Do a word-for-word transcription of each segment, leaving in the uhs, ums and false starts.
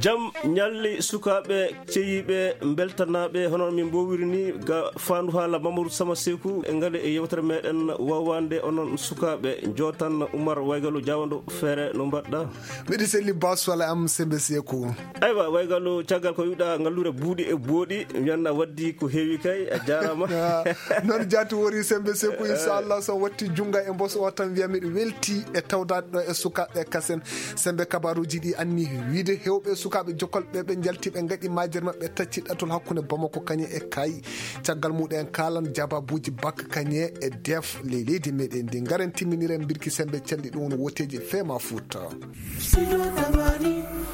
Jam ñalli sukaaɓe ceyiiɓe mbeltanaaɓe, hono min mbowiri ni ga faandu haala Mamadou Sama Seku e ngale e yewtere meɗen wawande onon sukaaɓe. Jotan Umar Waygalu Jawando Feere, no mbaɗɗa? Miɗo selli Ba Sole am Sembe Seku. Aywa, Waygalu, caggal ko wiɗa ngallure buuɗi e booɗi, mi anna waddi ko heewi kay, a jaaraama. Ah, noon jaati wori Sembe Seku, inchallah, so watti junnga e mboso o tan wiya miɗo welti e tawdaade ɗo e sukaaɓe kasen. Sembe, kabaruuji ɗi anni wiide heewɓe sukaaɓe jokolɓe ɓe njalti ɓe ngaɗi majere maɓɓe tacci ɗatul hakkunde Bamako kañe e Kay. Caggal muɗen kaalan jababuuji Bak kañe e def ley leydi meɗen ndi. Ngaren timminiren mbirki Sembe calli ɗum woni woteeji Fema Fuuta.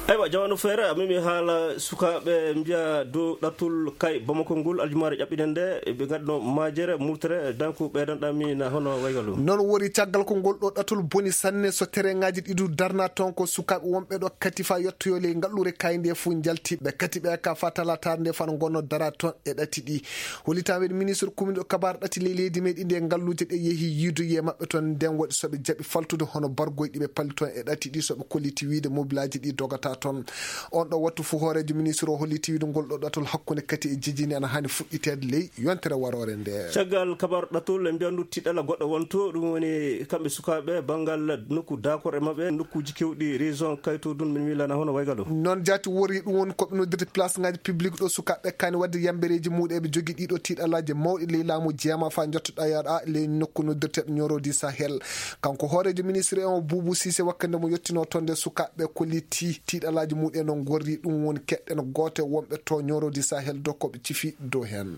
Aywa, Jawano Feere, a memi haala sukaaɓe mbiya dow ɗatul Kay Bamako ngol aljumaare ƴaɓɓiɗen nde, ɓe ngaɗno majere murtere, danko ɓeydanɗami na hono Waygalu. Noon wori caggal ko ngol ɗo ɗatul boni sanne, so terengaaji ɗiɗu darna toon ko sukaaɓe wonɓe ɗo Katifa yettoyo ley ngallure Kay nde fuu njalti ɓe kati ɓe ka fa talataare nde fano ngonno dara toon e ɗati ɗi. Hollitan weɗi ministre commune ɗo kabar ɗati ley leydi meɗi nde ngalluuje ɗe yehi yiidoye maɓɓe toon nden waɗi soɓe jaɓi faltude hono bargoy ɗi ɓe palli toon e ɗati ɗi soɓe kolliti wiide mobilaaji ɗi dogata toon. On ɗo wattu fuu hooreejo ministre o holliti wiide ngol ɗo ɗatul hakkunde kati e jejini ana hani fuɗɗiteede ley yontere waroore nde. Caggal kabar ɗatul e mbiyandu tiɗala goɗɗo wonto ɗum woni kamɓe sukaaɓe banngal nokku dakor e maɓɓe nokkuuji kewɗi région kayto dun min milana hono Waygalu. Noon jaati wori ɗum woni ko ɓe noddirta place ngaji public ɗo sukaaɓe kani wadde yambereeji muɗe ɓe jogi ɗiɗo tiɗalaje mawɗi ley laamu jeema fa jottoɗa yaɗa ley nokku noddirteɗo ñorodi Sahel. Kanko hooreejo ministre on Buubu Siise wakkande mo yettino toon nde sukaaɓe kolliti tiɗalaji muɗen no gorri ɗum woni keɗɗen goote wonɓe to ñorodi Sahel dokkooɓe cifi dow heen.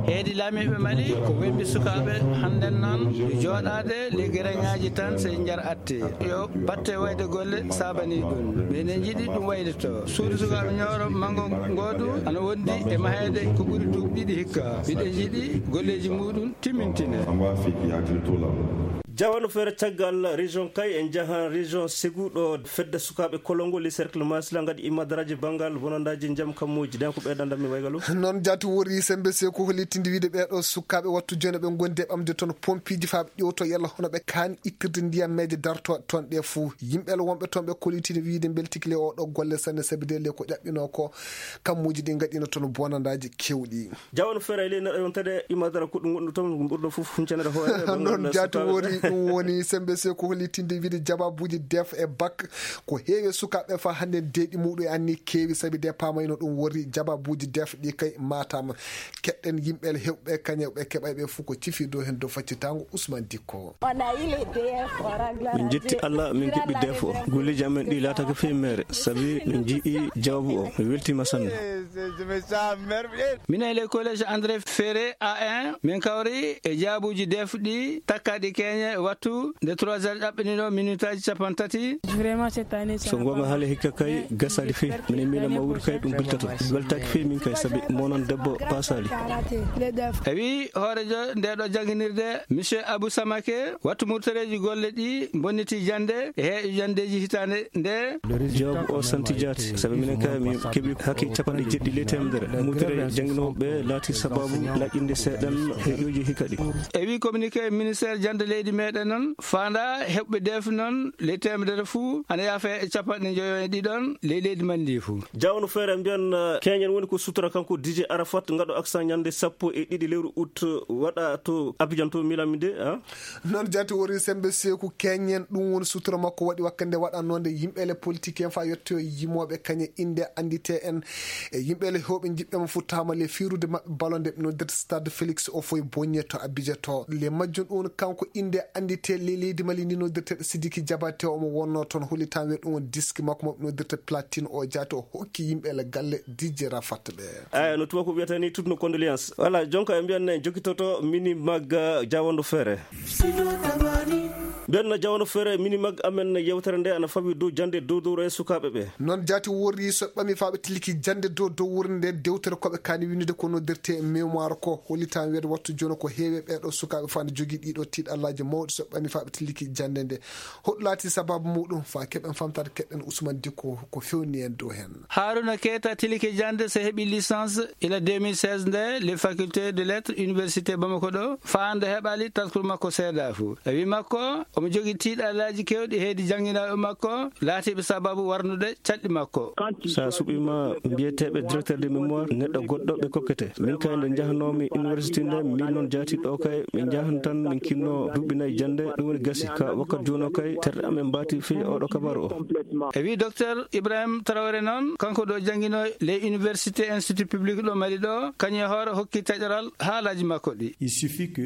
Heedi laamiiɓe Mali ko wembi sukaaɓe hannden noon jooɗaade ley gereŋaaji tan sey njar atte yo batte wayde golle saabanii ɗum. Minen njiɗi ɗum waylitoo. Suudu sukaaɓe Ñooro Manngo ngoodu ana wondi e maheede ko ɓuri duuɓi ɗiɗi hikka. Miɗen njiɗi golleeji muuɗum timmintine. Jawano Feere, caggal région Kay en njahan région Ségou ɗo fedde sukaaɓe Kolongo li cercle Masila ngaɗi imadaraaji banngal bonandaaji njam kammuuji. Nden ko ɓeydanɗammi Waygalu. Noon jaati wori Sembe Seku hollitinde wiide ɓeeɗo sukaaɓe wattu jooni ɓe ngondi e ɓamde toon pompiiji faa ɓe ƴewto yalla hono ɓe kaani ittirde ndiyam meeje darto toon ɗe fuu. Yimɓe wonɓe toon ɓe kollitini wiide mbeltikile o ɗo golle sanne sabi de le ko ƴaɓɓino ko kammuuji ɗi ngaɗino toon bonandaaji kewɗi. Jawano Feere ley neɗɗo yontede imadara kuɗɗo gonɗo toon ɓurɗo fof huncanede hoore. Noon jaati wori ɗum woni Sembe Seku hollitinde wiide jababuuji def e bak ko heewi sukaaɓe fa hannde deeɗi muɗum e anni keewi sabi de paamayno ɗum wori jababuuji def ɗi kay matam keɗɗen yimɓe hewɓe kañe ɓe keɓay ɓe fof ko cifi dow heen dow faccitango Ousmane Dikko. Min njetti Allah min keɓi def o golleeji amen ɗi laataka fii meere sabi min njii jawabu o mi weltima sanne. Minen le collège André Ferré A un min kawri e jaabuuji def ɗi takkaɗi keeñe wattu nde trois heures ɗaɓɓinino minutaaji capanɗe tati. So goonga haali hikka kay gasaali fii minen miila mawru kay ɗum beltato weltaaki fii min kay sabi monon debbo paasaali. E wi hoorejo nde ɗo jannginirde monsieur Abou Samake wattu murtoreeji golle ɗi bonniti jannde e heeƴo janndeeji hitaande nde. Jawaabu o santi jaati sabi minen kay min keɓi hakke capanɗe jeeɗiɗi ley teemedere murtore jannginooɓe laati sababu laƴƴinde seeɗan heeƴooji hikka ɗi. E wi communiqué ministère jannde leydi meɗen noon faanda heɓɓe def noon ley teemedere fuu ana yaafa e capanɗe njoyo e ɗiɗon ley leydi man ndi fuu. Jawno feere mbiyan keñen woni ko sutura kanko D J Arafat ngaɗo accent ñande sappo e ɗiɗi lewru août waɗa to Abidjan to milan mi de. Noon jaati wori sembe seeku keñen ɗum woni sutura makko waɗi wakkande waɗannoonde yimɓe le politique en fa yettoyo yimooɓe kañe innde anndite en e yimɓe le hewɓe njiɗɓe mo futtaama le fiirude maɓɓe balonde ɓe noddirta stade Félix Houphouët-Boigny to Abidjan to le majjum ɗum kanko innde anndite le leydi Mali ndi noddirteɗo Sidiki Diabaté omo wonno toon hollitan we ɗum woni diski makko mo ɓe noddirta platine o jaati o hokki yimɓe le galle D J Rafat ɓe. Aya no tuma ko wiyata ni toutes nos condoléances. Wala jonka e mbiyan ne jokitoto mini magga jawando feere. Mbiyan na jawando feere mini magga amen yewtere nde ana fawi dow jande dow dow e sukaaɓe ɓe. Noon jaati worri so ɓami faaɓe tiliki jande dow dow wurnde dewtere koɓe kaani winnude ko noddirte mémoire ko hollitan weede wattu jono ko heewe ɓeeɗo sukaaɓe faa ne jogii ɗiɗo tiiɗallaaji mawɗi so ɓami faaɓe tiliki jande nde. Hoɗum laati sababu muɗum faa keɓen famtaade keɗɗen Ousmane Dikko ko fewni en dow heen. Haruna Keita tilike jannde so heɓi licence ila deux mille seize nde le faculté de lettres université Bamako ɗo faa hannde heɓali taskuru makko seedaa fof. E wi makko Omo jogii tiiɗalaaji keewɗi heedi jannginooɓe makko laatiiɓe sababu warnude caɗɗi makko. So a suɓiima mbiyeteeɓe directeur de mémoire, neɗɗo goɗɗo ɓe kokkete. Min kay nde njahnoomi université nde, min noon jaati ɗo kay, min njahan tan, min kinno duuɓi nayi jannde, ɗum woni gasi. Ka wakkati jooni o kay, terɗe amen mbaati fii oɗo kabaru o. E wii Docteur Ibrahim Traoré noon, kanko ɗo jannginoo les universités institut public ɗo Mali ɗo, kañum e hoore hokki taƴoral haalaaji makko ɗi.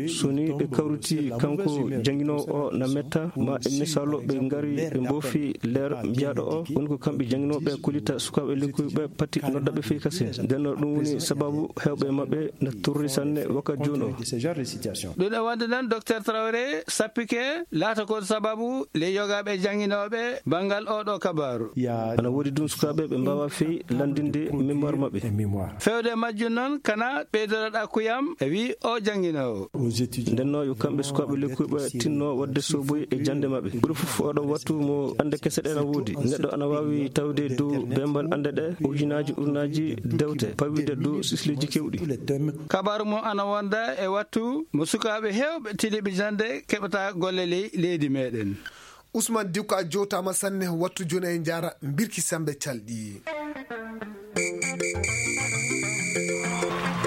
So ni ɓe kawriti kanko jannginoowo o na metta, ma e misaalu ɓe ngari ɓe mboofi leer mbiyaaɗo o, woni ko kamɓe jannginooɓe kullita sukaaɓe lekkuɓe pati noddaɓe fii kasin. Nden ɗum woni sababu heewɓe maɓɓe na turri sanne wakkati jooni o. Ɗum e wonde noon, Docteur Traoré sappike laata ko sababu le yogaaɓe jannginooɓe banngal oɗo kabaru. Ana woodi ɗum sukaaɓe ɓe mbaawa fii lanndinde mémoire maɓɓe. Feewde e majjum noon, kana ɓeydoroɗa kuyam, e wii o jannginoowo. Ndenno yo kamɓe sukaaɓe lekkuɓe tinno waɗde soboy e jannde maɓɓe. Ɓuri fof oɗo wattu mo annde kese ɗe na woodi. Neɗɗo ana waawi tawde dow bembal annde ɗe, ujunaaji, ujunaaji dewte, pawide dow sisleeji keewɗi. Kabaru mo ana wonda e wattu mo sukaaɓe heewɓe tiliɓe jannde keɓata golle ley leydi meɗen. Ousmane Dicko, a jowtaama sanne, wattu jooni e njaara mbirki Semmbe Calɗi.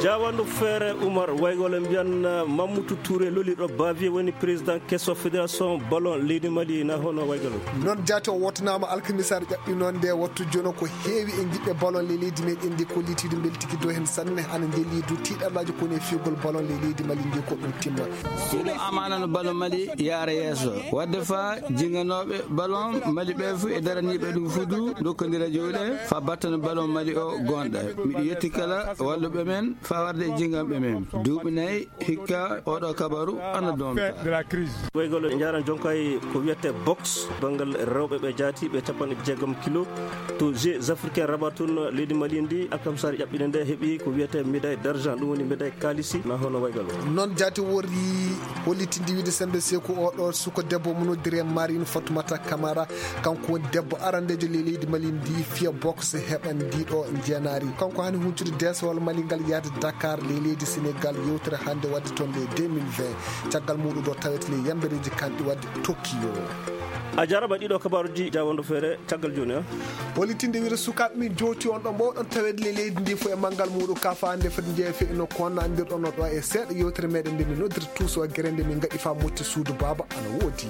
Jaawandu feere Umar Waygol e mbiyan Mammoutou Touré lolirɗo Bavier woni président keso fédération ballon leydi Mali na hono Waygol. Noon jaati o wootanaama alkamisaare ƴaɓɓi noon nde wattu jooni ko heewi e jiɗɓe ballon ley leydi meɗen ndi ko litiidu mbeltiki dow heen sanne hana ndeeli du tiiɗalaaji ko ne fiyugol ballon ley leydi Mali ndi ko ɗum timma. Suudu amaana no ballon Mali yaara yeeso. Wadde fa jinganooɓe ballon Mali ɓe fu e daraniiɓe ɗum fudu dokkondira jowɗe fa battana ballon Mali o gonɗa. Miɗo yetti kala walluɓe men fa warde e jinganɓe men. Duuɓi nayi hikka oɗo kabaru ana donta. Waygol njaran jonkay ko wiyete boxe banngal rewɓe ɓe jaati ɓe capanɗe jeegom kilo. To Jeux Africains Rabat tun leydi Mali ndi alkamisaare ƴaɓɓinde nde heɓi ko wiyete médaille d'argent, ɗum woni médaille kaalisi na hono Waygol. Noon jaati wori hollitinde wiide Semmbe Seeku oɗo suko debbo mo noddire Marine Fatoumata Camara, kanko woni debbo arandeejo ley leydi Mali ndi fiya boxe heɓan ndiɗo njeenaari. Kanko hani huncude deesowal Mali ngal yahde Dakar ley leydi Sénégal yewtere hannde wadde toon le deux mille vingt. Caggal muɗum ɗo tawete le yambereeji kanɗi wadde Tokyo. A jarama ɗiɗo kabaruji jaawandu feere caggal jooni a. Hollitinde wiide sukaaɓe min jowti on ɗo mbowɗon taweede le leydi ndi fof e manngal muɗum ka faande foti jeeya fe no ko wonno anndirɗon no ɗo e seeɗa yewtere meɗen nde min noddirta tuuso gere nde min ngaɗi fa motti suudu baaba ana woodi.